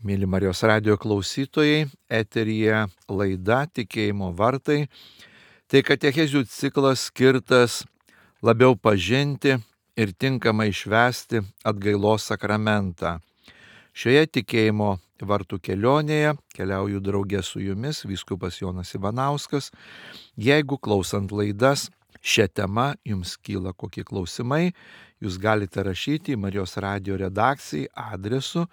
Mėly Marijos radijo klausytojai, eteryje laida Tikėjimo vartai. Tai katechezių ciklas skirtas labiau pažinti ir tinkamai švęsti atgailos sakramentą. Šioje tikėjimo vartų kelionėje keliauju draugė su jumis, vyskupas Jonas Ivanauskas. Jeigu klausant laidas šią temą jums kyla kokie klausimai, jūs galite rašyti į Marijos radijo redakciją adresu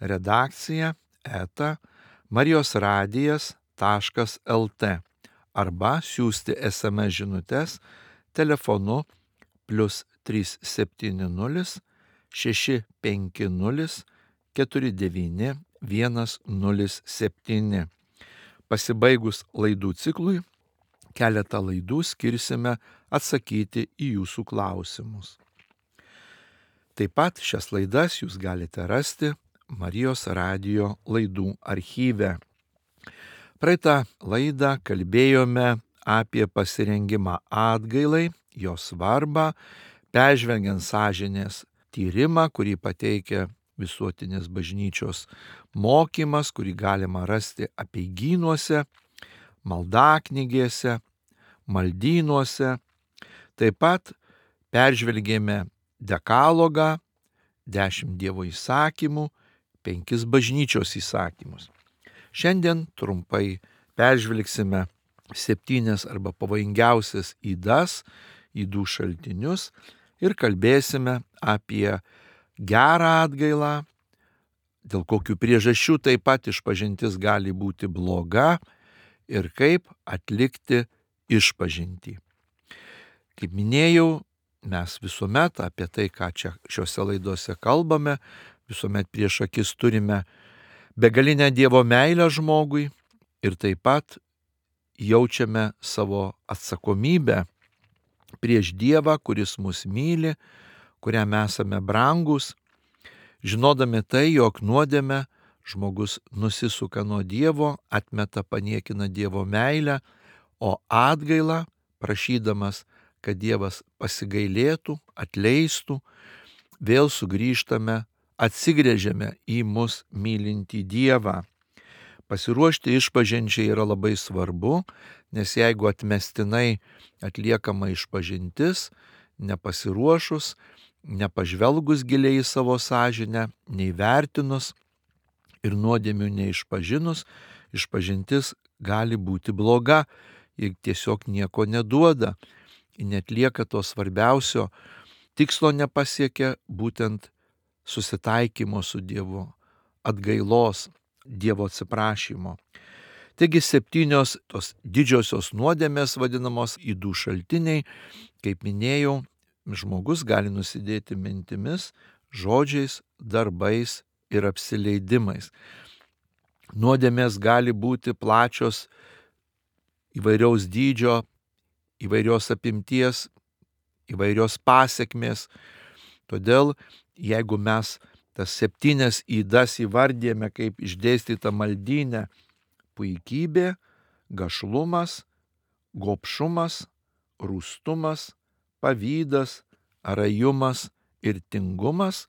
redakcija@marijosradijas.lt arba siųsti SMS žinutes telefonu +370 650 49 107. Pasibaigus laidų ciklui, keletą laidų skirsime atsakyti į jūsų klausimus. Taip pat šias laidas jūs galite rasti Marijos radijo laidų archyve. Praeitą laidą kalbėjome apie pasirengimą atgailai, jos svarbą, peržvelgiant sąžinės tyrimą, kurį pateikia Visuotinės bažnyčios mokymas, kurį galima rasti apeigynuose, maldaknygėse, maldynuose. Taip pat peržvelgėme dekalogą, 10 Dievo įsakymų, 5 bažnyčios įsakymus. Šiandien trumpai peržvelgsime 7 arba pavojingiausias ydų šaltinius ir kalbėsime apie gerą atgailą, dėl kokių priežasčių taip pat išpažintis gali būti bloga ir kaip atlikti išpažintį. Kaip minėjau, mes visuomet apie tai, ką čia šiuose laidose kalbame, visuomet prieš akis turime begalinę Dievo meilę žmogui ir taip pat jaučiame savo atsakomybę prieš Dievą, kuris mus myli, kuriam esame brangus, žinodami tai, jog nuodėme žmogus nusisuka nuo Dievo, atmeta, paniekina Dievo meilę, o atgailą, prašydamas, kad Dievas pasigailėtų, atleistų, vėl sugrįžtame, atsigręžiame į mus mylintį Dievą. Pasiruošti išpažinčiai yra labai svarbu, nes jeigu atmestinai atliekama išpažintis, nepasiruošus, nepažvelgus giliai į savo sąžinę, neįvertinus ir nuodėmių neišpažinus, išpažintis gali būti bloga ir tiesiog nieko neduoda. Netlieka to svarbiausio tikslo, nepasiekia būtent susitaikymo su Dievu, atgailos, Dievo atsiprašymo. Taigi 7 tos didžiosios nuodėmės vadinamos ydų šaltiniai, kaip minėjau, žmogus gali nusidėti mintimis, žodžiais, darbais ir apsileidimais. Nuodėmės gali būti plačios, įvairiaus dydžio, įvairios apimties, įvairios pasekmės. Todėl, jeigu mes tas 7 ydas įvardėjame kaip išdėstyta maldyne: puikybė, gašlumas, gobšumas, rūstumas, pavydas, rajumas ir tingumas,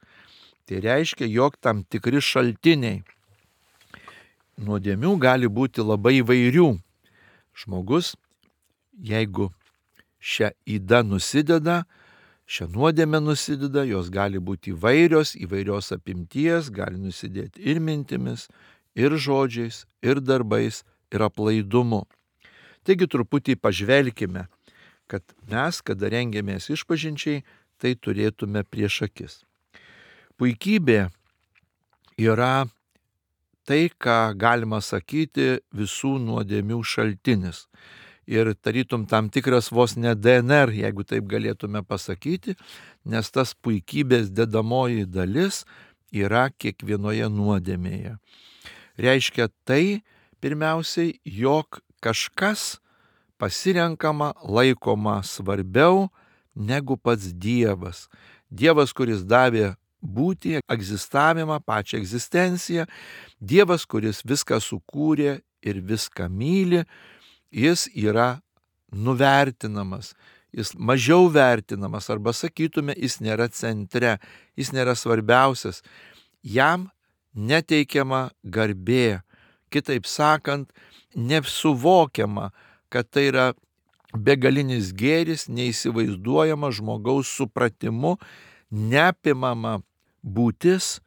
tai reiškia, jog tam tikri šaltiniai nuodėmių gali būti labai įvairių. Žmogus, jeigu šią ydą nusideda, šią nuodėmę nusideda, jos gali būti įvairios apimties, gali nusidėti ir mintimis, ir žodžiais, ir darbais, ir aplaidumu. Taigi truputį pažvelkime, kad mes, kada rengiamės išpažinčiai, tai turėtume prieš akis. Puikybė yra tai, ką galima sakyti visų nuodėmių šaltinis. Ir tarytum tam tikras vos ne DNR, jeigu taip galėtume pasakyti, nes tas puikybės dedamoji dalis yra kiekvienoje nuodėmėje. Reiškia tai, pirmiausiai, jog kažkas pasirenkama, laikoma svarbiau negu pats Dievas. Dievas, kuris davė būtį, egzistavimą, pačią egzistenciją, Dievas, kuris viską sukūrė ir viską myli, jis yra nuvertinamas, jis mažiau vertinamas, arba sakytume, jis nėra centre, jis nėra svarbiausias. Jam neteikiama garbė. Kitaip sakant, nesuvokiama, kad tai yra begalinis gėris, neįsivaizduojama žmogaus supratimu, neapimama būtis,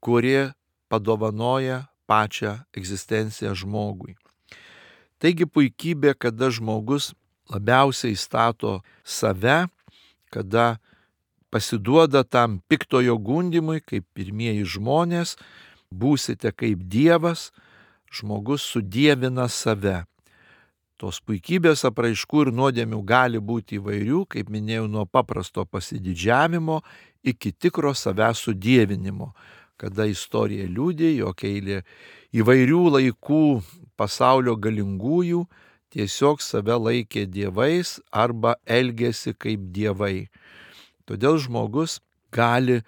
kuri padovanoja pačią egzistenciją žmogui. Taigi puikybė, kada žmogus labiausiai stato save, kada pasiduoda tam piktojo gundymui, kaip pirmieji žmonės, būsite kaip Dievas, žmogus sudievina save. Tos puikybės apraiškų ir nuodėmių gali būti įvairių, kaip minėjau, nuo paprasto pasididžiavimo iki tikro savęs sudievinimo, kada istorija liudija, jog eilė įvairių laikų pasaulio galingųjų tiesiog save laikė dievais arba elgėsi kaip dievai. Todėl žmogus gali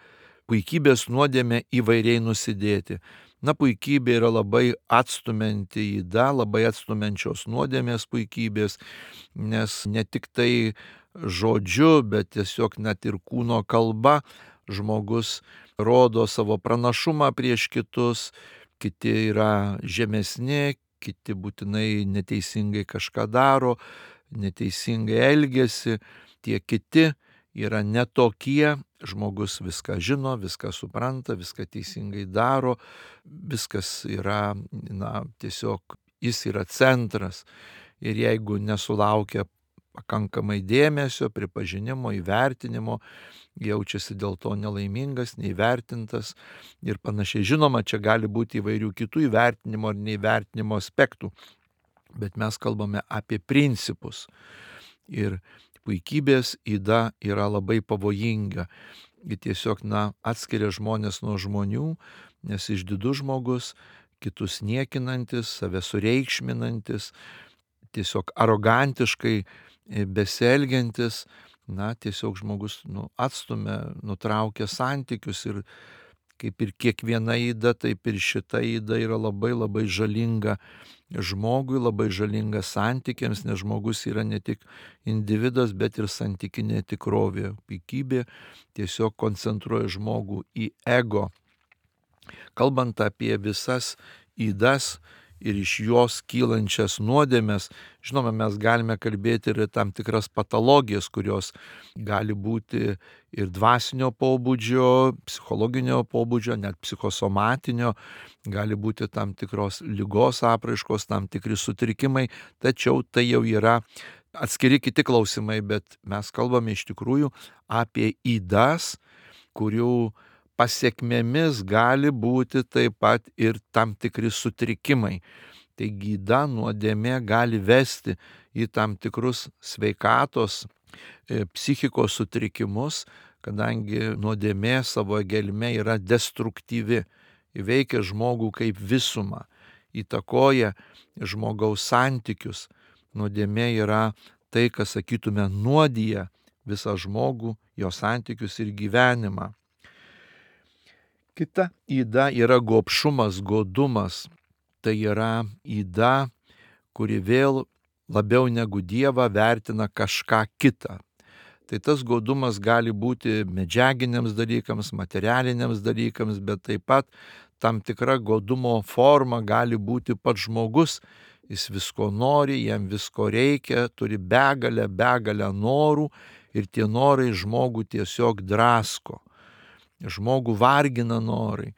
puikybės nuodėmę įvairiai nusidėti. Puikybė yra labai atstumianti yda, labai atstumiančios nuodėmės puikybės, nes ne tik tai žodžiu, bet tiesiog net ir kūno kalba žmogus rodo savo pranašumą prieš kitus, kiti yra žemesni, kiti būtinai neteisingai kažką daro, neteisingai elgiasi, tie kiti yra netokie, žmogus viską žino, viską supranta, viską teisingai daro, viskas yra, tiesiog jis yra centras. Ir jeigu nesulaukia pakankamai dėmesio, pripažinimo, įvertinimo, jaučiasi dėl to nelaimingas, neįvertintas ir panašiai. Žinoma, čia gali būti įvairių kitų įvertinimo ar neįvertinimo aspektų, bet mes kalbame apie principus. Ir puikybės yda yra labai pavojinga. Ji tiesiog atskiria žmonės nuo žmonių, nes išdidus žmogus, kitus niekinantis, save sureikšminantis, tiesiog arogantiškai besielgiantis, tiesiog žmogus atstumia, nutraukia santykius ir kaip ir kiekviena yda, taip ir šita yda yra labai labai žalinga žmogui, labai žalinga santykiams, nes žmogus yra ne tik individas, bet ir santykinė tikrovė. Puikybė tiesiog koncentruoja žmogų į ego. Kalbant apie visas ydas ir iš jos kylančias nuodėmes, žinoma, mes galime kalbėti ir tam tikras patologijas, kurios gali būti ir dvasinio pobūdžio, psichologinio pobūdžio, net psichosomatinio, gali būti tam tikros ligos apraiškos, tam tikri sutrikimai, tačiau tai jau yra atskiri kiti klausimai, bet mes kalbame iš tikrųjų apie ydas, kurių pasiekmėmis gali būti taip pat ir tam tikri sutrikimai. Taigi yda, nuodėmė gali vesti į tam tikrus sveikatos, psichikos sutrikimus, kadangi nuodėmė savo gelme yra destruktyvi, įveikia žmogų kaip visumą, įtakoja žmogaus santykius. Nuodėmė yra tai, kas, sakytume, nuodija visą žmogų, jo santykius ir gyvenimą. Kita yda yra gobšumas, godumas. Tai yra yda, kuri vėl labiau negu Dievą vertina kažką kitą. Tai tas godumas gali būti medžiaginiams dalykams, materialiniams dalykams, bet taip pat tam tikra godumo forma gali būti pats žmogus. Jis visko nori, jam visko reikia, turi begalę norų ir tie norai žmogų tiesiog drasko. Žmogų vargina norai,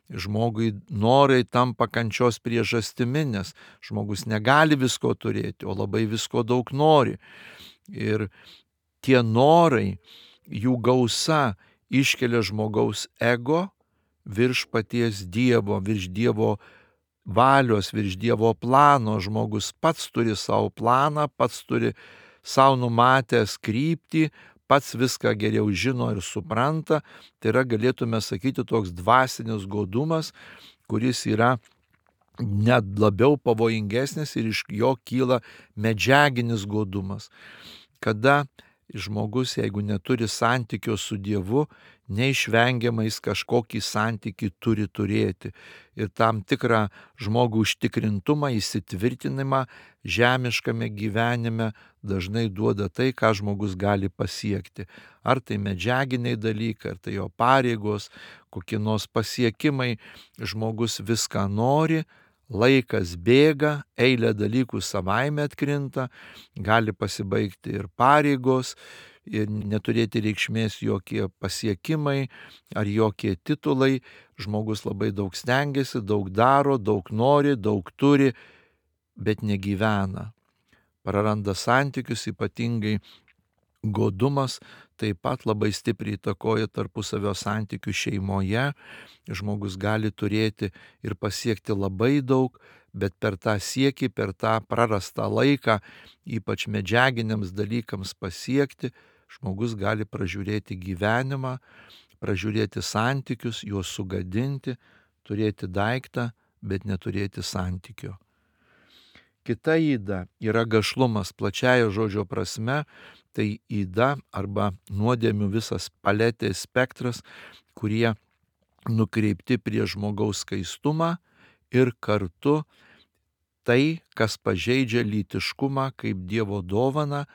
žmogui norai tampa kančios priežastimi, nes žmogus negali visko turėti, o labai visko daug nori. Ir tie norai, jų gausa iškelia žmogaus ego virš paties Dievo, virš Dievo valios, virš Dievo plano. Žmogus pats turi savo planą, pats turi savo numatęs kryptį, pats viską geriau žino ir supranta. Tai yra, galėtume sakyti, toks dvasinis godumas, kuris yra net labiau pavojingesnis ir iš jo kyla medžiaginis godumas. Kada Žmogus, jeigu neturi santykio su Dievu, neišvengiamai jis kažkokį santykį turi turėti. Ir tam tikrą žmogų užtikrintumą, įsitvirtinimą žemiškame gyvenime dažnai duoda tai, ką žmogus gali pasiekti. Ar tai medžiaginiai dalykai, ar tai jo pareigos, kokie nors pasiekimai, žmogus viską nori, laikas bėga, eilė dalykų savaime atkrinta, gali pasibaigti ir pareigos, ir neturėti reikšmės jokie pasiekimai ar jokie titulai. Žmogus labai daug stengiasi, daug daro, daug nori, daug turi, bet negyvena. Praranda santykius, ypatingai godumas taip pat labai stipriai įtakoja tarpusavio santykių šeimoje. Žmogus gali turėti ir pasiekti labai daug, bet per tą siekį, per tą prarastą laiką, ypač medžiaginiams dalykams pasiekti, žmogus gali pražiūrėti gyvenimą, pražiūrėti santykius, juos sugadinti, turėti daiktą, bet neturėti santykio. Kita yda yra gašlumas plačiaja žodžio prasme, tai yda arba nuodėmių visas paletės spektras, kurie nukreipti prie žmogaus skaistumą ir kartu tai, kas pažeidžia lytiškumą kaip Dievo dovaną,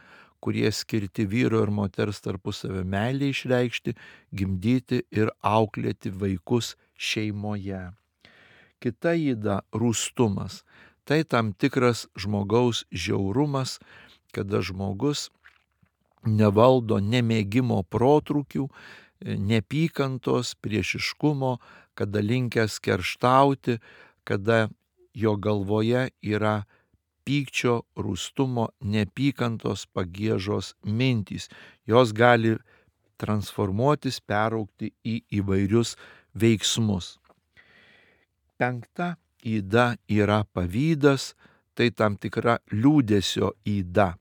kurie skirti vyro ir moters tarpusavio meilę išreikšti, gimdyti ir auklėti vaikus šeimoje. Kita yda - rūstumas. Tai tam tikras žmogaus žiaurumas, kada žmogus nevaldo nemėgimo protrūkių, nepykantos, priešiškumo, kada linkęs kerštauti, kada jo galvoje yra pykčio, rūstumo, nepykantos, pagiežos mintys. Jos gali transformuotis, peraugti į įvairius veiksmus. Penkta yda yra pavydas, tai tam tikra liūdesio yda,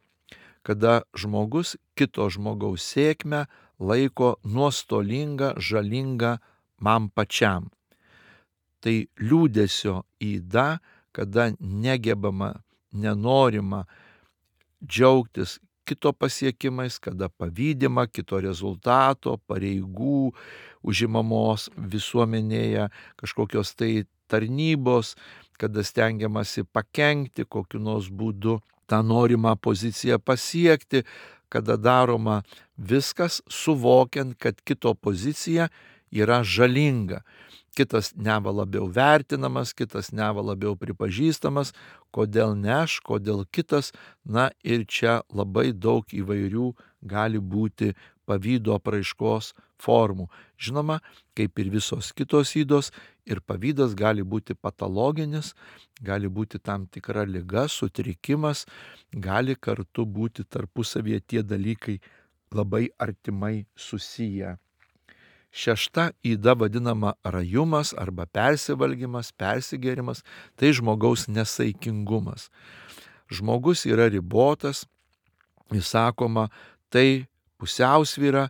kada žmogus kito žmogaus sėkmę laiko nuostolingą, žalingą man pačiam. Tai liūdesio yda, kada negebama, nenorima džiaugtis kito pasiekimais, kada pavydima kito rezultato, pareigų, užimamos visuomenėje, kažkokios tai tarnybos, kada stengiamasi pakenkti kokiu nors būdu tą norimą poziciją pasiekti, kada daroma viskas suvokiant, kad kito pozicija yra žalinga. Kitas neva labiau vertinamas, kitas neva labiau pripažįstamas, kodėl ne aš, kodėl kitas. Na ir čia labai daug įvairių gali būti pavydo apraiškos formų. Žinoma, kaip ir visos kitos ydos, ir pavydas gali būti patologinis, gali būti tam tikra liga, sutrikimas, gali kartu būti tarpusavyje tie dalykai labai artimai susiję. Šešta yda vadinama rajumas arba persivalgymas, persigėrimas, tai žmogaus nesaikingumas. Žmogus yra ribotas, jis sakoma, tai pusiausvyra,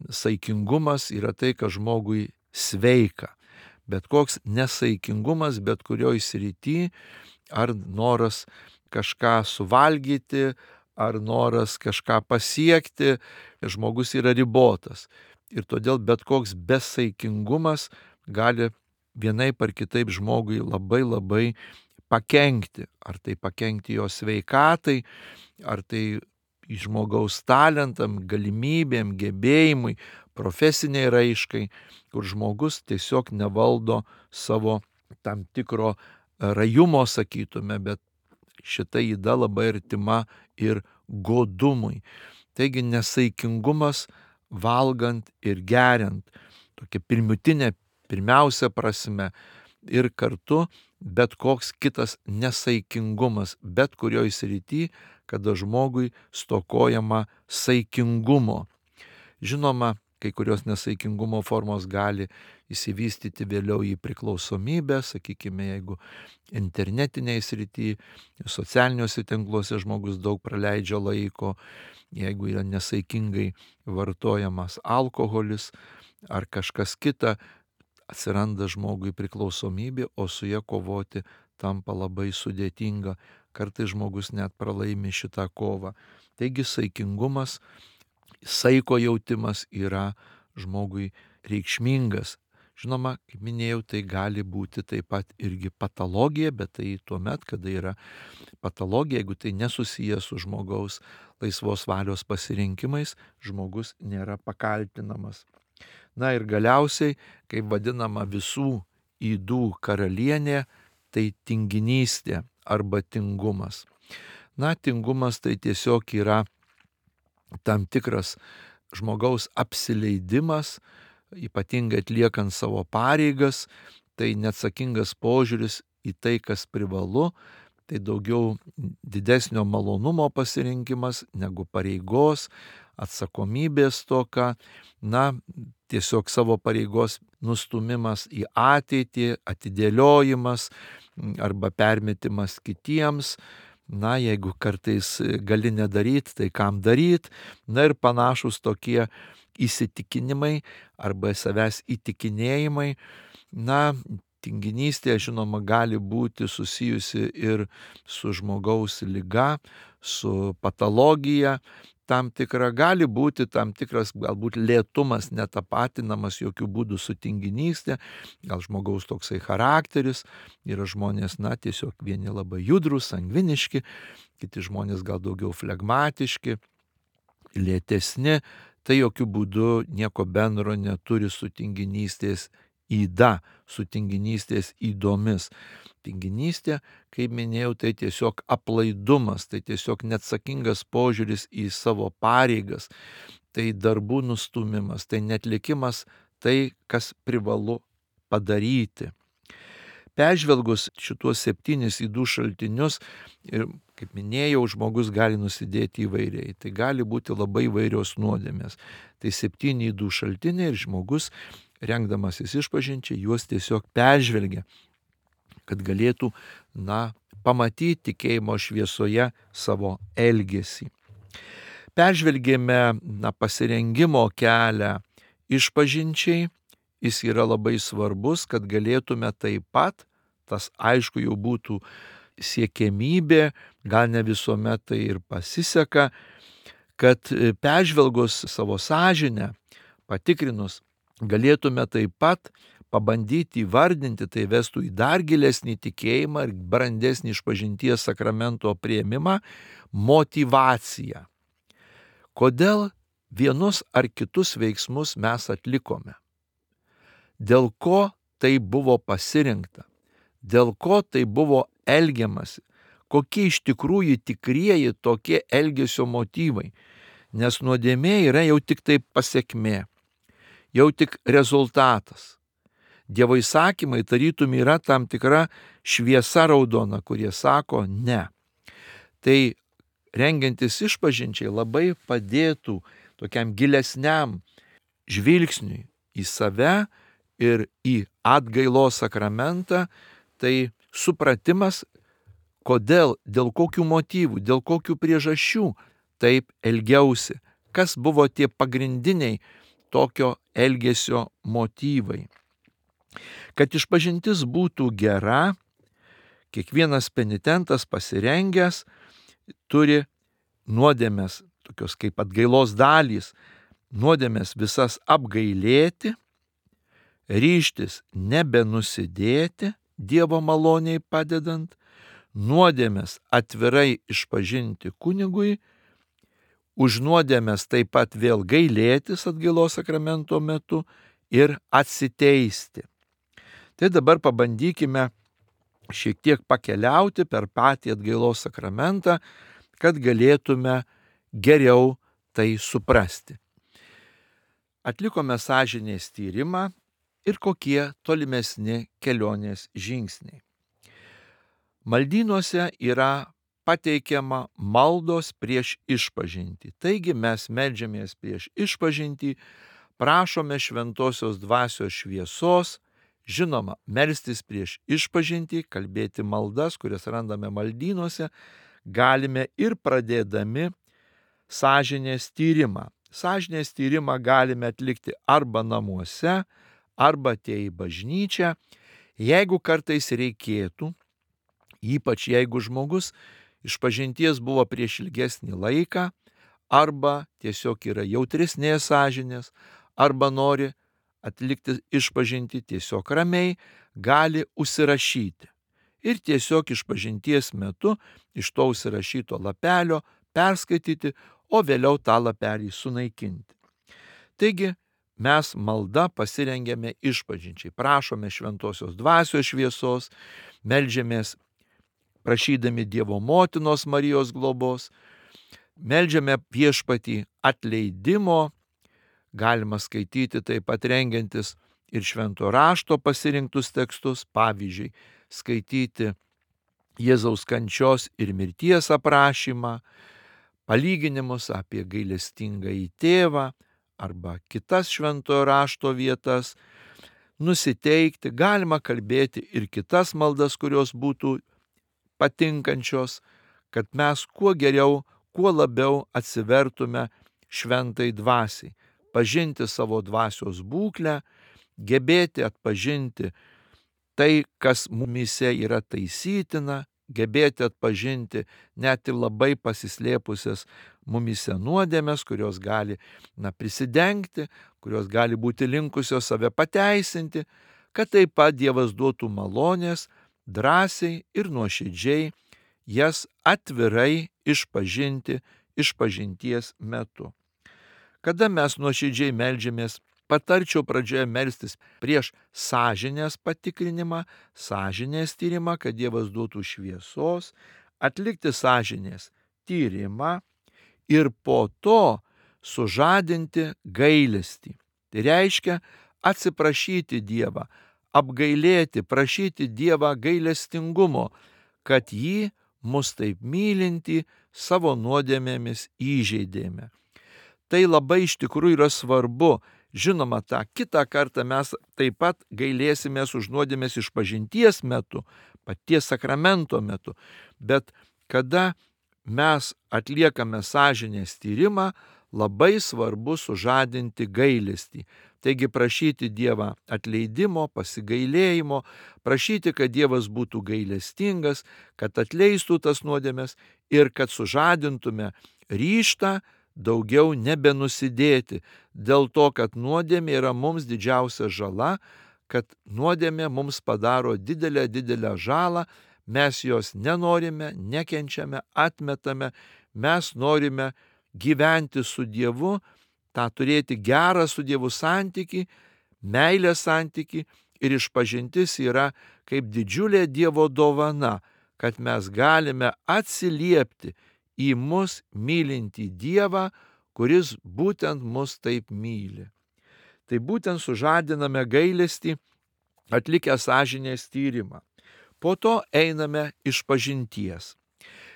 saikingumas yra tai, kas žmogui sveika. Bet koks nesaikingumas, bet kurioj srity, ar noras kažką suvalgyti, ar noras kažką pasiekti, žmogus yra ribotas. Ir todėl bet koks besaikingumas gali vienaip ar kitaip žmogui labai labai pakenkti. Ar tai pakenkti jo sveikatai, ar tai žmogaus talentam, galimybėm, gebėjimui, profesiniai raiškai, kur žmogus tiesiog nevaldo savo tam tikro rajumo, sakytume, bet šita yda labai artima ir godumui. Taigi nesaikingumas valgant ir geriant, tokia pirmutinė, pirmiausia prasme, ir kartu bet koks kitas nesaikingumas, bet kurioj srity, kada žmogui stokojama saikingumo. Žinoma, kai kurios nesaikingumo formos gali įsivystyti vėliau į priklausomybę, sakykime, jeigu internetiniai srity, socialiniuose tinkluose žmogus daug praleidžia laiko, jeigu yra nesaikingai vartojamas alkoholis ar kažkas kita, atsiranda žmogui priklausomybė, o su ja kovoti tampa labai sudėtinga. kartais žmogus net pralaimi šitą kovą. Taigi saikingumas, saiko jautimas yra žmogui reikšmingas. Žinoma, kaip minėjau, tai gali būti taip pat irgi patologija, bet tai tuomet, kada yra patologija, jeigu tai nesusijęs su žmogaus laisvos valios pasirinkimais, žmogus nėra pakaltinamas. Na ir galiausiai, kaip vadinama visų ydų karalienė, tai tinginystė arba tingumas. Na, tingumas tai tiesiog yra tam tikras žmogaus apsileidimas, ypatingai atliekant savo pareigas, tai neatsakingas požiūris į tai, kas privalu, tai daugiau didesnio malonumo pasirinkimas negu pareigos, atsakomybės stoka, na, tiesiog savo pareigos nustumimas į ateitį, atidėliojimas arba permetimas kitiems. Na, jeigu kartais gali nedaryti, tai kam daryti, na ir panašus tokie įsitikinimai arba savęs įtikinėjimai. Na, tinginystė, žinoma, gali būti susijusi ir su žmogaus liga, su patologija. Tam tikra gali būti tam tikras galbūt lėtumas netapatinamas jokių būdų su tinginystė, gal žmogaus toksai charakteris, yra žmonės, na, tiesiog vieni labai judrus, sangviniški, kiti žmonės gal daugiau flegmatiški, lėtesni, tai jokių būdų nieko bendro neturi su tinginystės yda, su tinginystės ydomis. Tinginystė, kaip minėjau, tai tiesiog aplaidumas, tai tiesiog neatsakingas požiūris į savo pareigas, tai darbų nustumimas, tai netlikimas tai, kas privalu padaryti. Peržvelgus šituos 7 ydų šaltinius, ir kaip minėjau, žmogus gali nusidėti įvairiai. Tai gali būti labai įvairios nuodėmės. Tai 7 ydų šaltiniai ir žmogus, rengdamasis išpažinčiai, juos tiesiog peržvelgia, kad galėtų, na, pamatyti tikėjimo šviesoje savo elgesį. Peržvelgėme, na, pasirengimo kelią išpažinčiai, jis yra labai svarbus, kad galėtume taip pat, tas aišku jau būtų siekiamybė, gal ne visuomet tai ir pasiseka, kad peržvelgus savo sąžinę, patikrinus, galėtume taip pat pabandyti įvardinti, tai vestų į dar gilesnį tikėjimą ir brandesnį išpažinties sakramento priėmimą, motyvaciją. Kodėl vienus ar kitus veiksmus mes atlikome? Dėl ko tai buvo pasirinkta? Dėl ko tai buvo elgiamasi? Kokie iš tikrųjų tikrieji tokie elgesio motyvai? Nes nuodėmė yra jau tik tai pasekmė, jau tik rezultatas. Dievo įsakymai tarytum yra tam tikra šviesa raudona, kurie sako ne. Tai rengiantis išpažinčiai labai padėtų tokiam gilesniam žvilgsniui į save ir į atgailos sakramentą, tai supratimas, kodėl, dėl kokių motyvų, dėl kokių priežasčių taip elgiausi, kas buvo tie pagrindiniai tokio elgesio motyvai. Kad išpažintis būtų gera, kiekvienas penitentas pasirengęs turi nuodėmes, tokios kaip atgailos dalys, nuodėmes visas apgailėti, ryžtis nebenusidėti, Dievo maloniai padedant, nuodėmes atvirai išpažinti kunigui, už nuodėmes taip pat vėl gailėtis atgailos sakramento metu ir atsiteisti. Tai dabar pabandykime šiek tiek pakeliauti per patį atgailos sakramentą, kad galėtume geriau tai suprasti. Atlikome sąžinės tyrimą ir kokie tolimesni kelionės žingsniai. Maldynuose yra pateikiama maldos prieš išpažintį. Taigi mes meldžiamės prieš išpažintį, prašome šventosios dvasios šviesos, žinoma, melstis prieš išpažintį, kalbėti maldas, kurias randame maldynuose, galime ir pradėdami sąžinės tyrimą. Sąžinės tyrimą galime atlikti arba namuose, arba atėję į bažnyčią. Jeigu kartais reikėtų, ypač jeigu žmogus išpažinties buvo prieš ilgesnį laiką, arba tiesiog yra jautresnės sąžinės, arba nori atlikti išpažintį tiesiog ramiai, gali užsirašyti. Ir tiesiog išpažinties metu iš to užsirašyto lapelio perskaityti, o vėliau tą lapelį sunaikinti. Taigi mes malda pasirengėme išpažinčiai, prašome šventosios dvasios šviesos, meldžiamės prašydami Dievo motinos Marijos globos, meldžiame viešpatį atleidimo, galima skaityti taip pat rengiantis ir švento rašto pasirinktus tekstus, pavyzdžiui, skaityti Jėzaus kančios ir mirties aprašymą, palyginimus apie gailestingąjį tėvą arba kitas šventojo rašto vietas, nusiteikti, galima kalbėti ir kitas maldas, kurios būtų patinkančios, kad mes kuo geriau, kuo labiau atsivertume šventai dvasiai, pažinti savo dvasios būklę, gebėti atpažinti tai, kas mumyse yra taisytina, gebėti atpažinti net ir labai pasislėpusias mumyse nuodėmes, kurios gali prisidengti, kurios gali būti linkusios save pateisinti, kad taip pat Dievas duotų malonės drąsiai ir nuoširdžiai jas atvirai išpažinti išpažinties metu. Kada mes nuoširdžiai meldžiamės, patarčiau pradžioje melstis prieš sąžinės patikrinimą, sąžinės tyrimą, kad Dievas duotų šviesos, atlikti sąžinės tyrimą ir po to sužadinti gailestį. Tai reiškia atsiprašyti Dievą, apgailėti, prašyti Dievą gailestingumo, kad jį mus taip mylintį savo nuodėmėmis įžeidėme. Tai labai iš tikrųjų yra svarbu. Žinoma, tą kitą kartą mes taip pat gailėsimės už nuodėmės išpažinties metu, paties sakramento metu, bet kada mes atliekame sąžinės tyrimą, labai svarbu sužadinti gailestį. Taigi prašyti Dievą atleidimo, pasigailėjimo, prašyti, kad Dievas būtų gailestingas, kad atleistų tas nuodėmes ir kad sužadintume ryžtą daugiau nebenusidėti, dėl to, kad nuodėmė yra mums didžiausia žala, kad nuodėmė mums padaro didelę žalą, mes jos nenorime, nekenčiame, atmetame, mes norime gyventi su Dievu, tą turėti gerą su Dievu santykį, meilės santykį, ir išpažintis yra kaip didžiulė Dievo dovana, kad mes galime atsiliepti į mus mylintį Dievą, kuris būtent mus taip myli. Tai būtent sužadiname gailestį, atlikę sąžinės tyrimą. Po to einame išpažinties.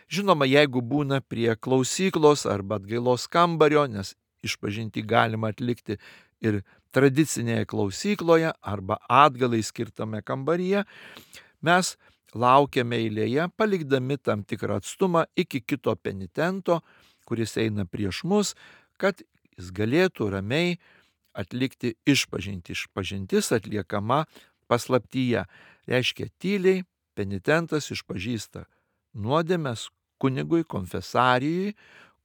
Žinoma, jeigu būna prie klausyklos arba atgailos kambario, nes išpažinti galima atlikti ir tradicinėje klausykloje arba atgalai skirtame kambaryje, mes laukiame eilėje, palikdami tam tikrą atstumą iki kito penitento, kuris eina prieš mus, kad jis galėtų ramiai atlikti išpažintį. Išpažintis atliekama paslaptyje. Reiškia, tyliai penitentas išpažįsta nuodėmes kunigui, konfesarijui,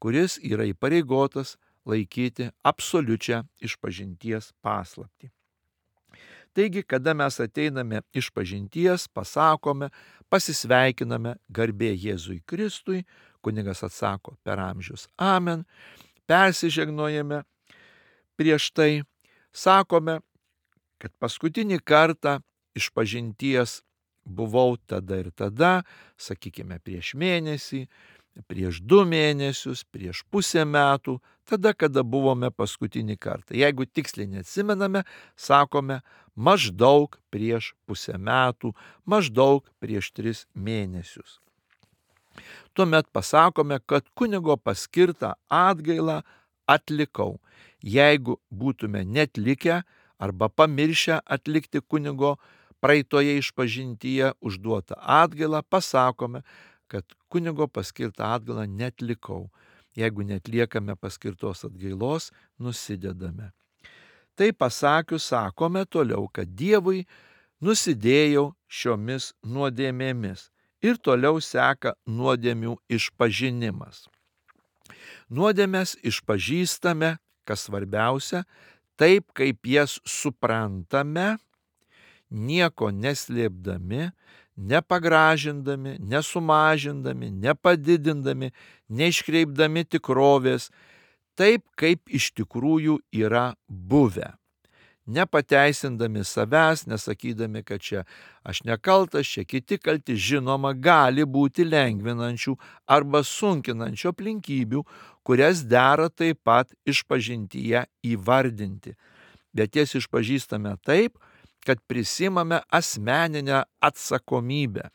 kuris yra įpareigotas laikyti absoliučią išpažinties paslaptį. Taigi, kada mes ateiname išpažinties, pasakome, pasisveikiname garbė Jėzui Kristui, kunigas atsako per amžius amen, persižegnojame prieš tai, sakome, kad paskutinį kartą išpažinties buvau tada ir tada, sakykime prieš mėnesį, prieš 2 mėnesius, prieš pusę metų, tada, kada buvome paskutinį kartą. Jeigu tiksliai neatsimename, sakome maždaug prieš pusę metų, maždaug prieš 3 mėnesius. Tuomet pasakome, kad kunigo paskirtą atgailą atlikau. Jeigu būtume netlikę arba pamiršę atlikti kunigo praeitoje išpažintyje užduotą atgailą, pasakome, kad kunigo paskirtą atgailą netlikau. Jeigu netliekame paskirtos atgailos, nusidedame. Tai pasakius, sakome toliau, kad Dievui nusidėjau šiomis nuodėmėmis Ir toliau seka nuodėmių išpažinimas. Nuodėmes išpažįstame, kas svarbiausia, taip kaip jas suprantame, nieko neslėpdami, nepagražindami, nesumažindami, nepadidindami, neiškreipdami tikrovės, taip kaip iš tikrųjų yra buvę. Nepateisindami savęs, nesakydami, kad čia aš nekaltas, čia kiti kalti, žinoma, gali būti lengvinančių arba sunkinančių aplinkybių, kurias dera taip pat išpažintyje įvardinti. Bet jas išpažįstame taip, kad prisimame asmeninę atsakomybę.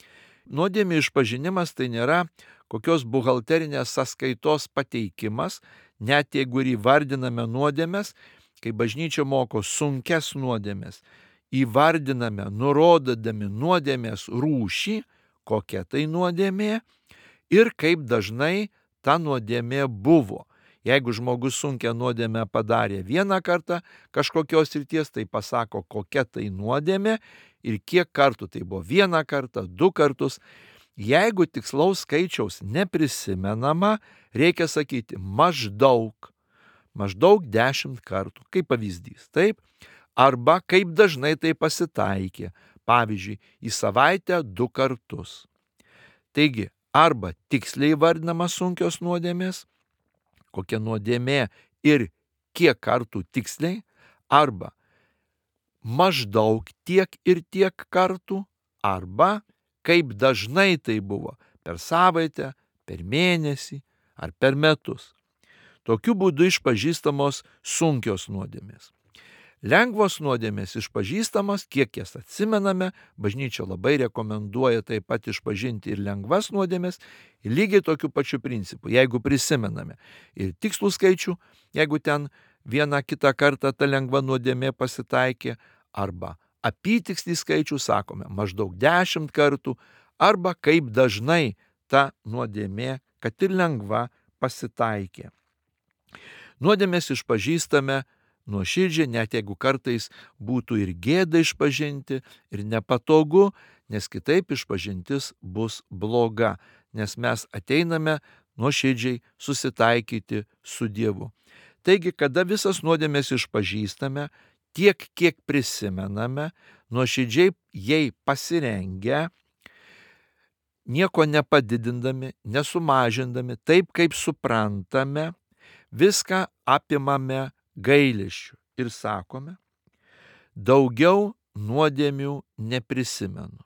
Nuodėmių išpažinimas tai nėra kokios buhalterinės sąskaitos pateikimas, net jeigu ir įvardiname nuodėmes, kai bažnyčia moko sunkes nuodėmes, įvardiname, nurodydami nuodėmės rūšį, kokia tai nuodėmė ir kaip dažnai ta nuodėmė buvo. Jeigu žmogus sunkią nuodėmę padarė vieną kartą kažkokios srities, tai pasako, kokia tai nuodėmė ir kiek kartų tai buvo, vieną kartą, 2 kartus. Jeigu tikslaus skaičiaus neprisimenama, reikia sakyti maždaug 10 kartų, kaip pavyzdys, taip? Arba kaip dažnai tai pasitaikė, pavyzdžiui, į savaitę 2 kartus. Taigi, arba tiksliai vardinamas sunkios nuodėmės, kokia nuodėmė ir kiek kartų tiksliai, arba maždaug tiek ir tiek kartų, arba kaip dažnai tai buvo, per savaitę, per mėnesį ar per metus. Tokiu būdu išpažįstamos sunkios nuodėmės. Lengvos nuodėmės išpažįstamos, kiek jas atsimename, bažnyčia labai rekomenduoja taip pat išpažinti ir lengvas nuodėmės, lygiai tokiu pačiu principu, jeigu prisimename ir tikslų skaičių, jeigu ten vieną kitą kartą ta lengva nuodėmė pasitaikė, arba apytikslį skaičių sakome maždaug 10 kartų, arba kaip dažnai ta nuodėmė, kad ir lengva, pasitaikė. Nuodėmės išpažįstame nuoširdžiai, net jeigu kartais būtų ir gėda išpažinti, ir nepatogu, nes kitaip išpažintis bus bloga, nes mes ateiname nuoširdžiai susitaikyti su Dievu. Taigi, kada visas nuodėmės išpažįstame, tiek kiek prisimename, nuoširdžiai jai pasirengę, nieko nepadidindami, nesumažindami, taip kaip suprantame, viską apimame gailesčiu ir sakome, daugiau nuodėmių neprisimenu.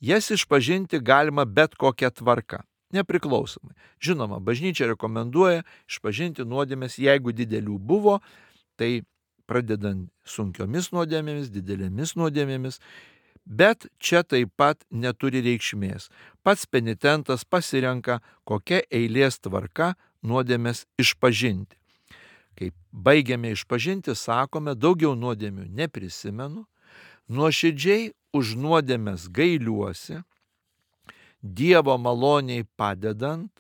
Jas išpažinti galima bet kokia tvarka, nepriklausomai. Žinoma, bažnyčia rekomenduoja išpažinti nuodėmės, jeigu didelių buvo, tai pradedant sunkiomis nuodėmėmis, didelėmis nuodėmėmis, bet čia taip pat neturi reikšmės. Pats penitentas pasirenka, kokia eilės tvarka nuodėmės išpažinti. Kai baigiame išpažinti, sakome, daugiau nuodėmių neprisimenu, nuoširdžiai už nuodėmės gailiuosi, Dievo maloniai padedant,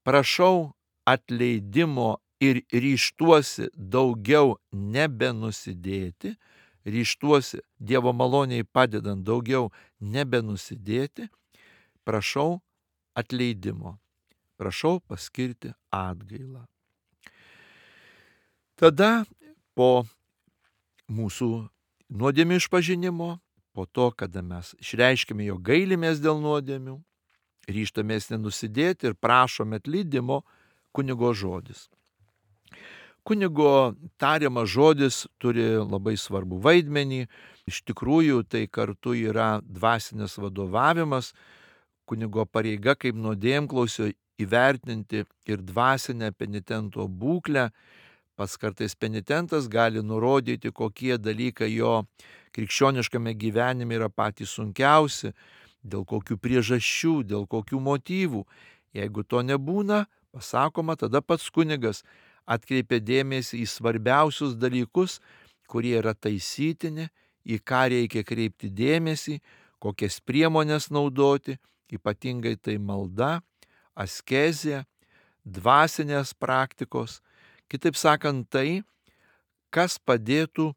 prašau atleidimo ir ryžtuosi daugiau nebenusidėti, ryžtuosi Dievo maloniai padedant daugiau nebenusidėti, prašau atleidimo, prašau paskirti atgailą. Tada po mūsų nuodėmių išpažinimo, po to, kada mes išreiškime, jog gailimės dėl nuodėmių, ryžtamės nenusidėti ir prašome atleidimo, kunigo žodis. Kunigo tariamas žodis turi labai svarbų vaidmenį, iš tikrųjų tai kartu yra dvasinis vadovavimas, kunigo pareiga kaip nuodėmklausio įvertinti ir dvasinę penitento būklę. Pats kartais penitentas gali nurodyti, kokie dalykai jo krikščioniškame gyvenime yra patys sunkiausi, dėl kokių priežasčių, dėl kokių motyvų. Jeigu to nebūna, pasakoma, tada pats kunigas atkreipia dėmesį į svarbiausius dalykus, kurie yra taisytini, į ką reikia kreipti dėmesį, kokias priemonės naudoti, ypatingai tai malda, askezė, dvasinės praktikos. Kitaip sakant, tai, kas padėtų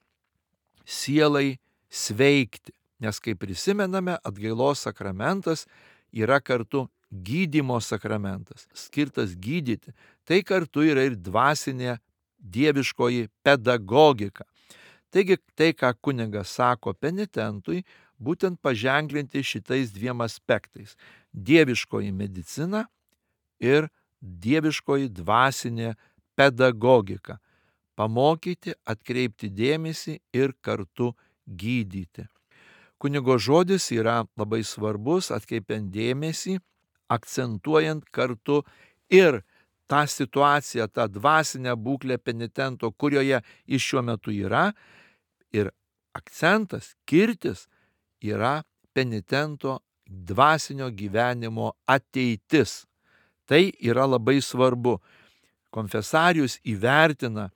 sielai sveikti, Nes kaip prisimename, atgailos sakramentas yra kartu gydymo sakramentas, skirtas gydyti. Tai kartu yra ir dvasinė dieviškoji pedagogika. Taigi tai, ką kunigas sako penitentui, būtent paženklinti šitais dviem aspektais - dieviškoji medicina ir dieviškoji dvasinė pedagogika. Pamokyti, atkreipti dėmesį ir kartu gydyti. Kunigo žodis yra labai svarbus, atkreipiant dėmesį, akcentuojant kartu ir tą situaciją, tą dvasinę būklę penitento, kurioje jis šiuo metu yra. Ir akcentas, kirtis yra penitento dvasinio gyvenimo ateitis. Tai yra labai svarbu. Konfesarius įvertina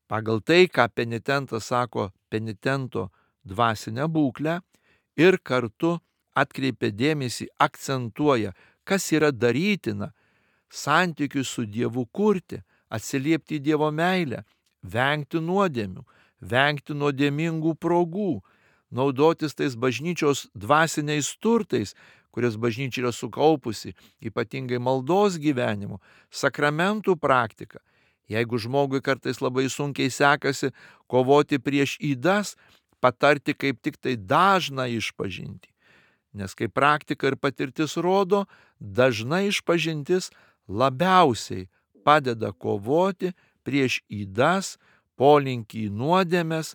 pagal tai, ką penitentas sako, penitento dvasinę būklę ir kartu atkreipia dėmesį, akcentuoja, kas yra darytina santykius su Dievu kurti, atsiliepti į Dievo meilę, vengti nuodėmių, vengti nuodėmingų progų, naudotis tais bažnyčios dvasiniais turtais, kurias bažnyčia yra sukaupusi, ypatingai maldos gyvenimu, sakramentų praktika. Jeigu žmogui kartais labai sunkiai sekasi kovoti prieš ydas, patarti kaip tik tai dažną išpažintį. Nes kaip praktika ir patirtis rodo, dažna išpažintis labiausiai padeda kovoti prieš ydas, polinkį į nuodėmes,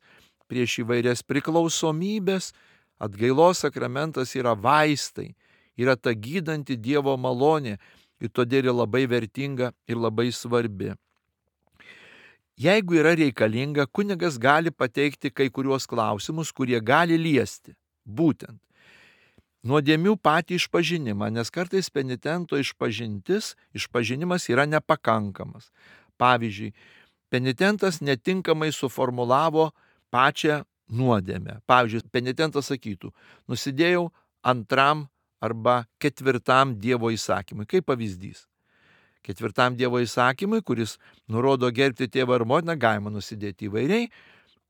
prieš įvairias priklausomybės. Atgailos sakramentas yra vaistai, yra ta gydanti Dievo malonė ir todėl yra labai vertinga ir labai svarbi. Jeigu yra reikalinga, kunigas gali pateikti kai kuriuos klausimus, kurie gali liesti būtent nuodėmių patį išpažinimą, nes kartais penitento išpažinimas yra nepakankamas. Pavyzdžiui, penitentas netinkamai suformulavo pačią nuodėmę. Pavyzdžiui, penitentas sakytų, nusidėjau 2 arba 4 Dievo įsakymui. Kaip pavyzdys. 4 Dievo įsakymui, kuris nurodo gerbti tėvą ir motiną, galima nusidėti įvairiai.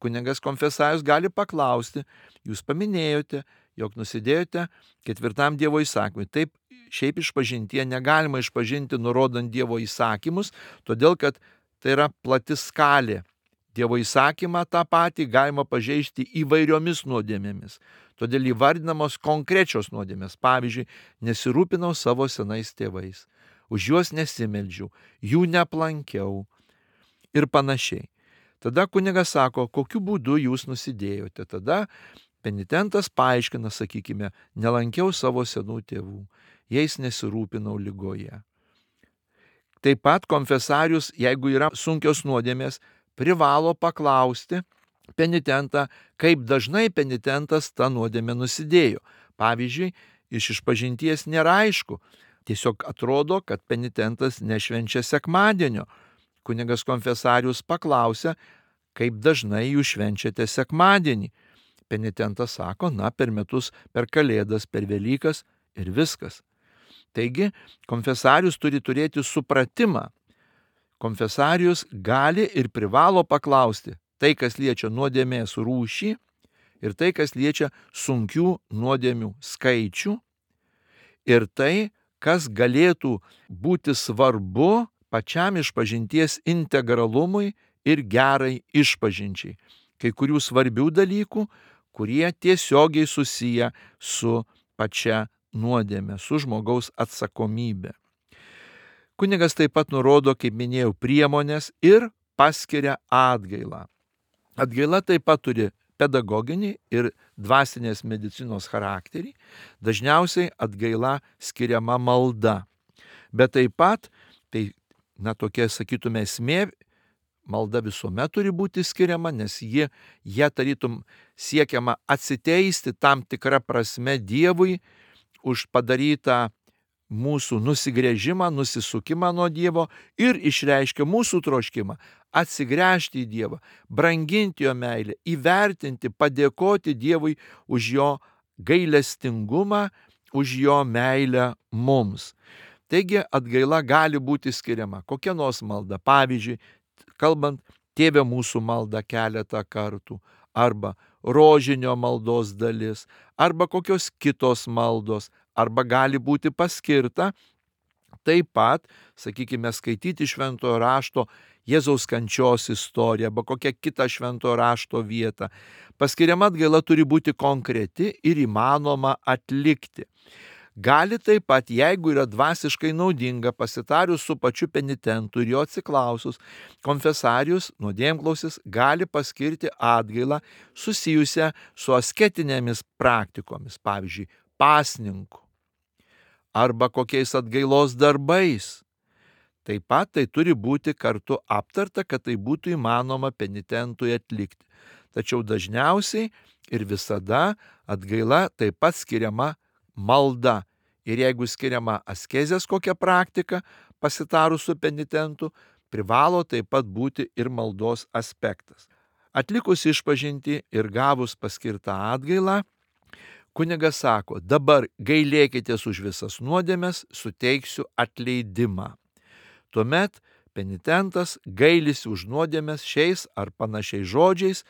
Kunigas konfesarius gali paklausti, jūs paminėjote, jog nusidėjote 4 Dievo įsakymui. Taip, šiaip išpažintyje negalima išpažinti nurodant Dievo įsakymus, todėl kad tai yra plati skalė. Dievo įsakymą tą patį galima pažeisti įvairiomis nuodėmėmis. Todėl įvardinamos konkrečios nuodėmės. Pavyzdžiui, nesirūpinau savo senais tėvais, už juos nesimeldžiau, jų neplankiau ir panašiai. Tada kunigas sako, kokiu būdu jūs nusidėjote. Tada penitentas paaiškina, sakykime, nelankiau savo senų tėvų, jais nesirūpinau ligoje. Taip pat konfesarius, jeigu yra sunkios nuodėmės, privalo paklausti penitentą, kaip dažnai penitentas tą nuodėmę nusidėjo. Pavyzdžiui, iš išpažinties nėra aišku, tiesiog atrodo, kad penitentas nešvenčia sekmadienio. Kunigas konfesarius paklausia, kaip dažnai jūs švenčiate sekmadienį. Penitentas sako, per metus, per Kalėdas, per Velykas ir viskas. Taigi, konfesarius turi turėti supratimą. Konfesarius gali ir privalo paklausti tai, kas liečia nuodėmės rūšį ir tai, kas liečia sunkių nuodėmių skaičių ir tai, kas galėtų būti svarbu pačiam išpažinties integralumui ir gerai išpažinčiai. Kai kurių svarbių dalykų, kurie tiesiogiai susiję su pačia nuodėme, su žmogaus atsakomybė. Kunigas taip pat nurodo, kaip minėjau, priemonės ir paskiria atgailą. Atgaila taip pat turi pedagoginį ir dvasinės medicinos charakterį. Dažniausiai atgaila skiriama malda. Bet taip pat, tokia, sakytume, esmė, malda visuomet turi būti skiriama, nes jie tarytum siekiama atsiteisti tam tikrą prasme Dievui už padarytą mūsų nusigręžimą, nusisukimą nuo Dievo ir išreiškia mūsų troškimą atsigręžti į Dievą, branginti jo meilę, įvertinti, padėkoti Dievui už jo gailestingumą, už jo meilę mums. Taigi atgaila gali būti skiriama kokia nors malda. Pavyzdžiui, kalbant Tėve mūsų maldą keletą kartų arba rožinio maldos dalis, arba kokios kitos maldos, arba gali būti paskirta taip pat, sakykime, skaityti šventojo rašto Jėzaus kančios istoriją arba kokią kitą šventojo rašto vietą. Paskiriama atgaila turi būti konkreti ir įmanoma atlikti. Gali taip pat, jeigu yra dvasiškai naudinga, pasitarius su pačiu penitentu ir jo atsiklausus, konfesarius, nuodėmklausis, gali paskirti atgailą susijusią su asketinėmis praktikomis, pavyzdžiui, pasninku arba kokiais atgailos darbais. Taip pat tai turi būti kartu aptarta, kad tai būtų įmanoma penitentui atlikti. Tačiau dažniausiai ir visada atgaila taip pat skiriama malda. Ir jeigu skiriama askezės kokia praktika, pasitarus su penitentu, privalo taip pat būti ir maldos aspektas. Atlikus išpažintį ir gavus paskirtą atgailą, kunigas sako, dabar gailėkitės už visas nuodėmes, suteiksiu atleidimą. Tuomet penitentas gailisi už nuodėmes šiais ar panašiais žodžiais,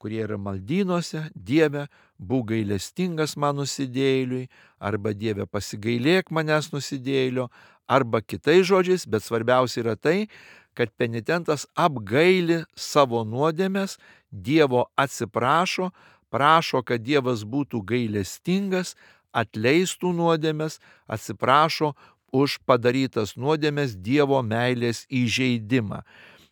kurie yra maldynuose: Dieve, būk gailestingas man nusidėjėliui, arba Dieve, pasigailėk manęs nusidėjėlio, arba kitais žodžiais, bet svarbiausia yra tai, kad penitentas apgaili savo nuodėmes, Dievo atsiprašo, prašo, kad Dievas būtų gailestingas, atleistų nuodėmes, atsiprašo už padarytas nuodėmes Dievo meilės įžeidimą.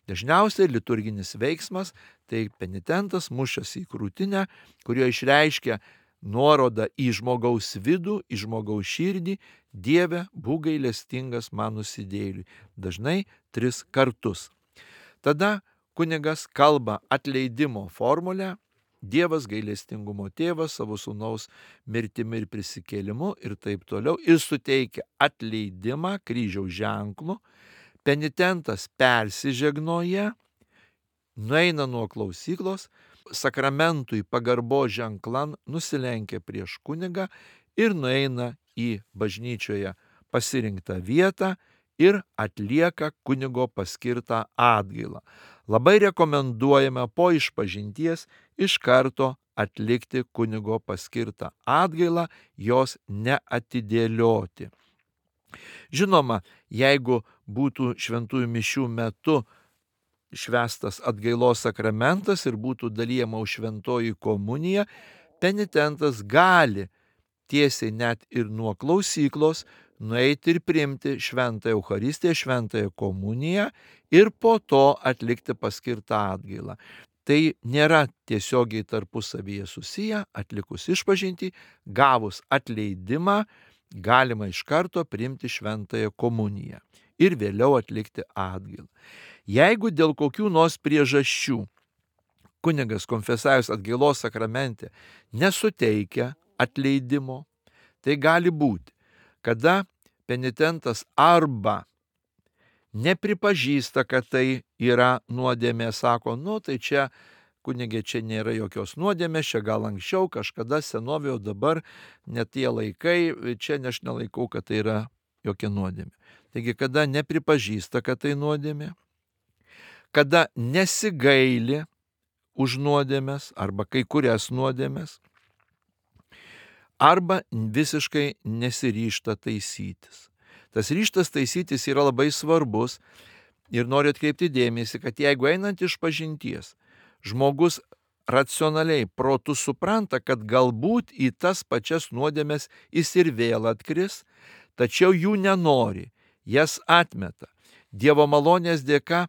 Dažniausiai liturginis veiksmas tai penitentas mušas į krūtinę, kurio išreiškia nuorodą į žmogaus vidų, į žmogaus širdį: Dieve, būk gailestingas man nusidėjėliui. Dažnai 3 kartus. Tada kunigas kalba atleidimo formulę: Dievas gailestingumo tėvas savo sūnaus mirtimi ir prisikėlimu ir taip toliau, ir suteikia atleidimą kryžiaus ženklu. Penitentas persižegnoja, nueina nuo klausyklos, sakramentui pagarbo ženklan nusilenkia prieš kunigą ir nueina į bažnyčioje pasirinktą vietą ir atlieka kunigo paskirtą atgailą. Labai rekomenduojame po išpažinties iš karto atlikti kunigo paskirtą atgailą, jos neatidėlioti. Žinoma, jeigu būtų šventųjų mišių metu švęstas atgailos sakramentas ir būtų dalijama už šventoji komunija, penitentas gali tiesiai net ir nuo klausyklos nueiti ir priimti šventąją Eucharistiją, šventąją komuniją ir po to atlikti paskirtą atgailą. Tai nėra tiesiogiai tarpusavyje susiję. Atlikus išpažintį, gavus atleidimą, galima iš karto priimti šventąją komuniją ir vėliau atlikti atgailą. Jeigu dėl kokių nors priežasčių kunigas konfesavęs atgailos sakramente nesuteikia atleidimo, tai gali būti, kada penitentas arba nepripažįsta, kad tai yra nuodėmė, sako, tai čia kunigė, čia nėra jokios nuodėmės, čia gal anksčiau, kažkada senovėje, o dabar net tie laikai, čia aš nelaikau, kad tai yra jokia nuodėmė. Taigi, kada nepripažįsta, kad tai nuodėmė, kada nesigaili už nuodėmės arba kai kurias nuodėmės, arba visiškai nesiryžta taisytis. Tas ryžtas taisytis yra labai svarbus ir noriu atkreipti dėmesį, kad jeigu einant išpažinties, žmogus racionaliai protu supranta, kad galbūt į tas pačias nuodėmes jis ir vėl atkris, tačiau jų nenori, jas atmeta. Dievo malonės dėka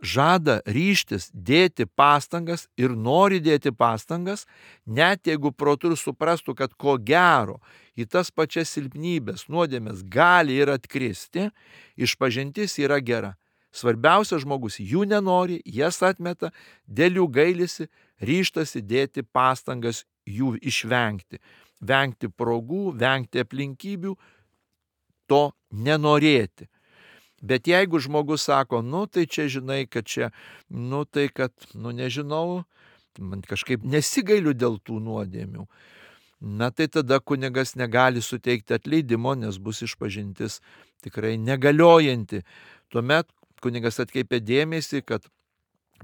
žada ryžtis dėti pastangas ir nori dėti pastangas, net jeigu protu ir suprastų, kad ko gero į tas pačias silpnybės, nuodėmės gali ir atkristi, išpažintis yra gera. Svarbiausia, žmogus jų nenori, jas atmeta, dėl jų gailisi, ryžtasi dėti pastangas jų išvengti. Vengti progų, vengti aplinkybių, to nenorėti. Bet jeigu žmogus sako, tai čia žinai, kad čia, tai kad, nežinau, man kažkaip nesigailiu dėl tų nuodėmių, tai tada kunigas negali suteikti atleidimo, nes bus išpažintis tikrai negaliojanti. Tuomet kunigas atkreipia dėmesį, kad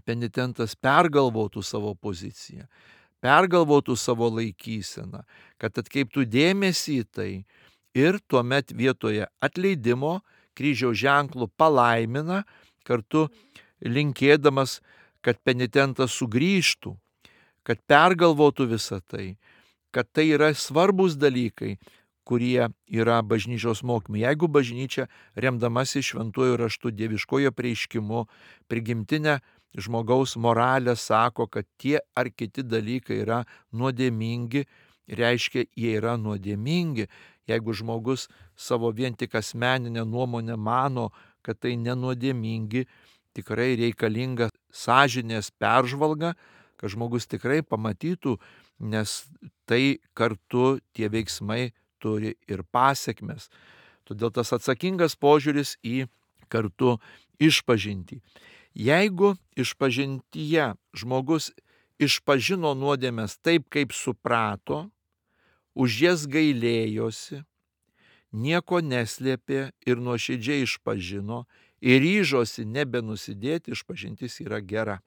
penitentas pergalvotų savo poziciją, pergalvotų savo laikyseną, kad atkreiptų dėmesį į tai ir tuomet vietoje atleidimo kryžiaus ženklų palaimina, kartu linkėdamas, kad penitentas sugrįžtų, kad pergalvotų visą tai, kad tai yra svarbus dalykai, kurie yra bažnyčios mokymai. Jeigu bažnyčia, remdamasi šventuoju raštu, dieviškojo prieiškimu, prigimtinę žmogaus moralę sako, kad tie ar kiti dalykai yra nuodėmingi, reiškia, jie yra nuodėmingi. Jeigu žmogus savo vien tik asmeninę nuomonę mano, kad tai nenuodėmingi, tikrai reikalinga sąžinės peržvalga, kad žmogus tikrai pamatytų, nes tai kartu tie veiksmai turi ir pasekmes. Todėl tas atsakingas požiūris į kartu išpažintį. Jeigu išpažintyje žmogus išpažino nuodėmes taip, kaip suprato, už jas gailėjosi, nieko neslėpė ir nuoširdžiai išpažino ir ryžosi nebenusidėti, išpažintis yra gera.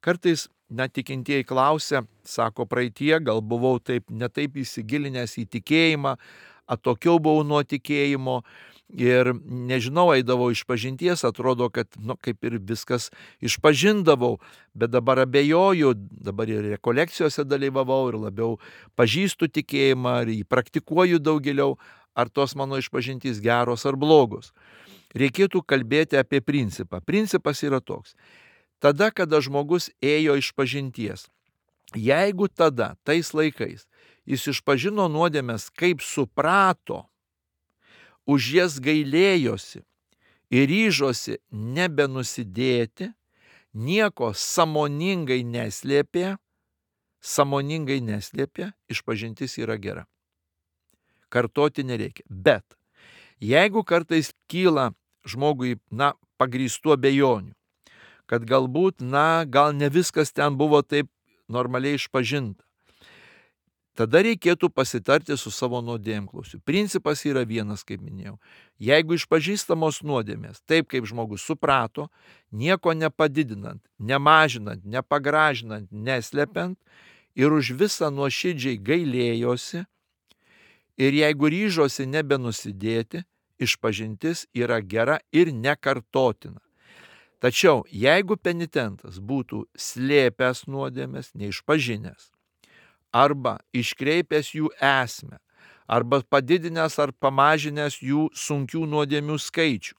Kartais tikintieji klausia, sako, praeitie gal buvau netaip įsigilinęs į tikėjimą, atokiau buvau nuo tikėjimo ir nežinau, eidavau išpažinties, atrodo, kad kaip ir viskas išpažindavau, bet dabar abejoju, dabar ir rekolekcijose dalyvavau ir labiau pažįstu tikėjimą, ar jį praktikuoju daug giliau, ar tos mano išpažintys geros ar blogos. Reikėtų kalbėti apie principą. Principas yra toks. Tada, kada žmogus ėjo išpažinties, jeigu tada, tais laikais, jis išpažino nuodėmes, kaip suprato, už jas gailėjosi ir ryžosi nebenusidėti, nieko sąmoningai neslėpė, išpažintis yra gera. Kartoti nereikia. Bet jeigu kartais kyla žmogui, pagrįstų abejonių, kad galbūt, gal ne viskas ten buvo taip normaliai išpažinta, tada reikėtų pasitarti su savo nuodėmklausiu. Principas yra vienas, kaip minėjau. Jeigu išpažįstamos nuodėmės, taip kaip žmogus suprato, nieko nepadidinant, nemažinant, nepagražinant, neslepiant ir už visą nuoširdžiai gailėjosi, ir jeigu ryžosi nebenusidėti, išpažintis yra gera ir nekartotina. Tačiau jeigu penitentas būtų slėpęs nuodėmes, neišpažinęs, arba iškreipęs jų esmę, arba padidinęs ar pamažinęs jų sunkių nuodėmių skaičių,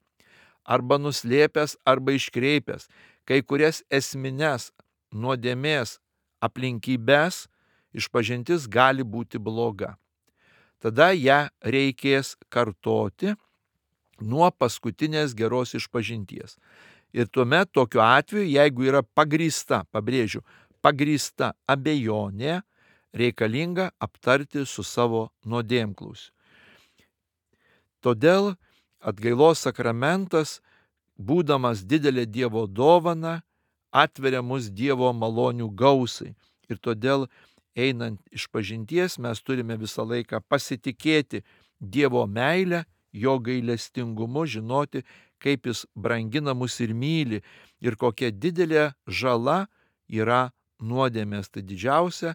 arba nuslėpęs arba iškreipęs kai kurias esmines nuodėmės aplinkybės, išpažintis gali būti bloga. Tada ją reikės kartoti nuo paskutinės geros išpažinties. Ir tuomet tokiu atveju, jeigu yra pagrįsta, pabrėžiu, pagrįsta abejonė, reikalinga aptarti su savo nuodėmklausiu. Todėl atgailos sakramentas, būdamas didelė Dievo dovana, atveria mus Dievo malonių gausai. Ir todėl einant išpažinties mes turime visą laiką pasitikėti Dievo meilę, jo gailestingumu, žinoti, kaip jis brangina mus ir myli ir kokia didelė žala yra nuodėmės. Tai didžiausia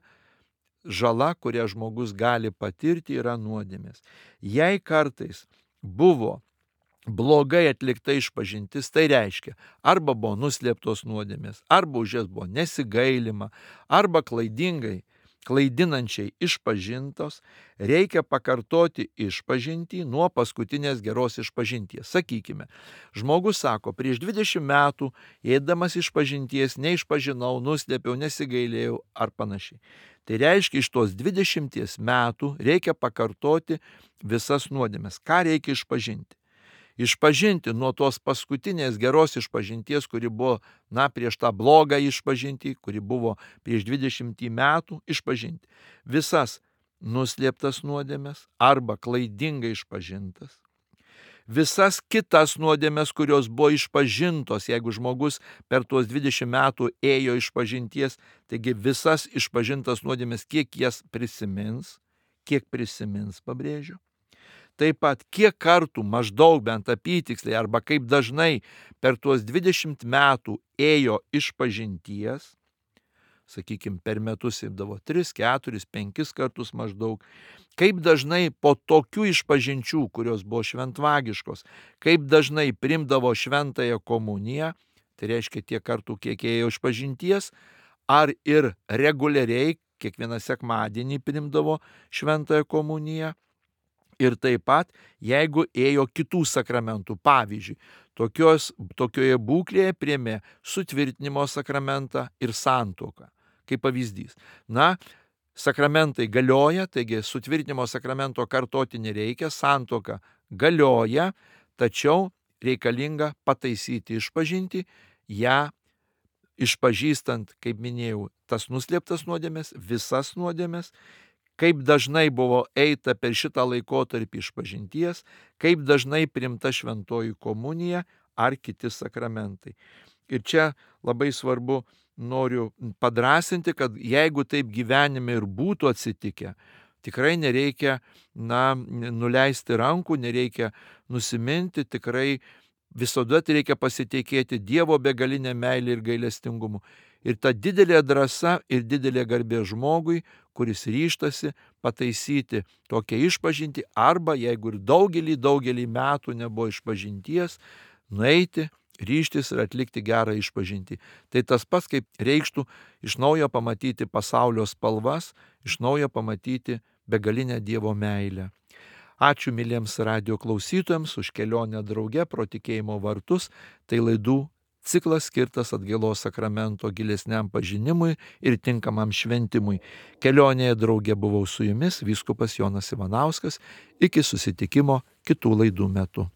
žala, kurią žmogus gali patirti, yra nuodėmės. Jei kartais buvo blogai atlikta išpažintis, tai reiškia, arba buvo nuslėptos nuodėmės, arba už jas buvo nesigailima, arba klaidinančiai išpažintos, reikia pakartoti išpažintį nuo paskutinės geros išpažinties. Sakykime, žmogus sako, prieš 20 metų, eidamas išpažinties, neišpažinau, nuslėpiau, nesigailėjau ar panašiai. Tai reiškia, iš tos 20 metų reikia pakartoti visas nuodėmes. Ką reikia išpažinti? Išpažinti nuo tos paskutinės geros išpažinties, kuri buvo, prieš tą blogą išpažintį, kuri buvo prieš 20 metų, išpažinti visas nuslėptas nuodėmes arba klaidingai išpažintas, visas kitas nuodėmes, kurios buvo išpažintos, jeigu žmogus per tuos 20 metų ėjo išpažinties, taigi visas išpažintas nuodėmes, kiek prisimins, pabrėžiu. taip pat kiek kartų maždaug bent apytiksliai arba kaip dažnai per tuos 20 metų ėjo išpažinties, sakykime, per metus imdavo 3, 4, 5 kartus maždaug, kaip dažnai po tokių išpažinčių, kurios buvo šventvagiškos, kaip dažnai primdavo šventąją komuniją, tai reiškia tiek kartų, kiek ėjo išpažinties, ar ir reguliariai kiekvieną sekmadienį primdavo šventąją komuniją, ir taip pat, jeigu ėjo kitų sakramentų, pavyzdžiui, tokioje būklėje priėmė sutvirtinimo sakramentą ir santuoką, kaip pavyzdys. Na, sakramentai galioja, taigi sutvirtinimo sakramento kartoti nereikia, santuoka galioja, tačiau reikalinga pataisyti išpažinti, ją išpažįstant, kaip minėjau, tas nuslėptas nuodėmes, visas nuodėmes, kaip dažnai buvo eita per šitą laikotarpį išpažinties, kaip dažnai priimta šventoji komunija ar kiti sakramentai. Ir čia labai svarbu, noriu padrąsinti, kad jeigu taip gyvenime ir būtų atsitikę, tikrai nereikia nuleisti rankų, nereikia nusiminti, tikrai visada reikia pasitikėti Dievo begalinę meilę ir gailestingumu. Ir ta didelė drąsa ir didelė garbė žmogui, kuris ryžtasi pataisyti tokią išpažintį, arba jeigu ir daugelį metų nebuvo išpažinties, nueiti, ryžtis ir atlikti gerą išpažintį. Tai tas pats, kaip reikštų iš naujo pamatyti pasaulio spalvas, iš naujo pamatyti begalinę Dievo meilę. Ačiū myliems radijo klausytojams už kelionę drauge pro tikėjimo vartus. Tai laidų ciklas skirtas atgailos sakramento gilesniam pažinimui ir tinkamam šventimui. Kelionėje drauge buvau su jumis vyskupas Jonas Ivanauskas. Iki susitikimo kitų laidų metu.